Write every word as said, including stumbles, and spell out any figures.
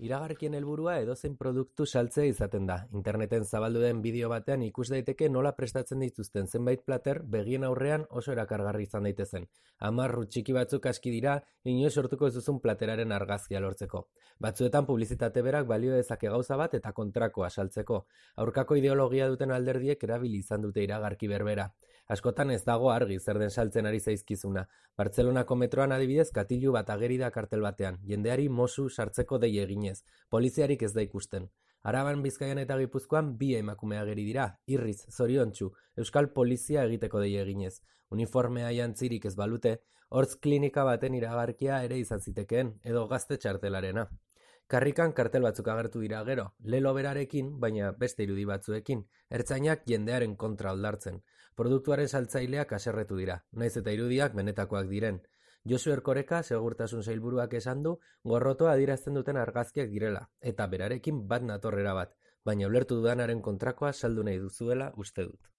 Iragarkien helburua edozein produktu saltzea izaten da. Interneten zabaldu den bideo batean ikus daiteke nola prestatzen dituzten zenbait plater begien aurrean oso erakargarri izan daitezen. Amarru txiki batzuk aski dira, inoiz sortuko ez duzun plateraren argazkia lortzeko. Batzuetan publizitate berak balio dezake gauza bat eta kontrakoa saltzeko. Aurkako ideologia duten alderdiek erabili izan dute iragarki berbera. Askotan ez dago argi zer den saltzen ari zaizkizuna. Bartzelonako metroan adibidez katilu bat ageri da kartel batean, jendeari Mosu sartzeko dei eginez. Poliziarik ez da ikusten. Araban, Bizkaian eta Gipuzkoan bi emakume ageri dira, irriz, zoriontsu, euskal polizia egiteko dei eginez. Uniformea jantzirik ez balute, hortz klinika baten iragarkia ere izan zitekeen, edo gazte txartelarena. Karrikan kartel batzuk agertu dira gero, lelo berarekin, baina beste irudi batzuekin, ertzainak jendearen kontra aldartzen. Produktuaren saltzaileak haserretu dira, naiz eta irudiak benetakoak diren. Josu Erkoreka segurtasun sailburuak esan du gorrotoa adierazten duten argazkiak direla, eta berarekin bat natorrera bat, baina ulertu dudanaren kontrakoa saldu nahi duzuela uste dut.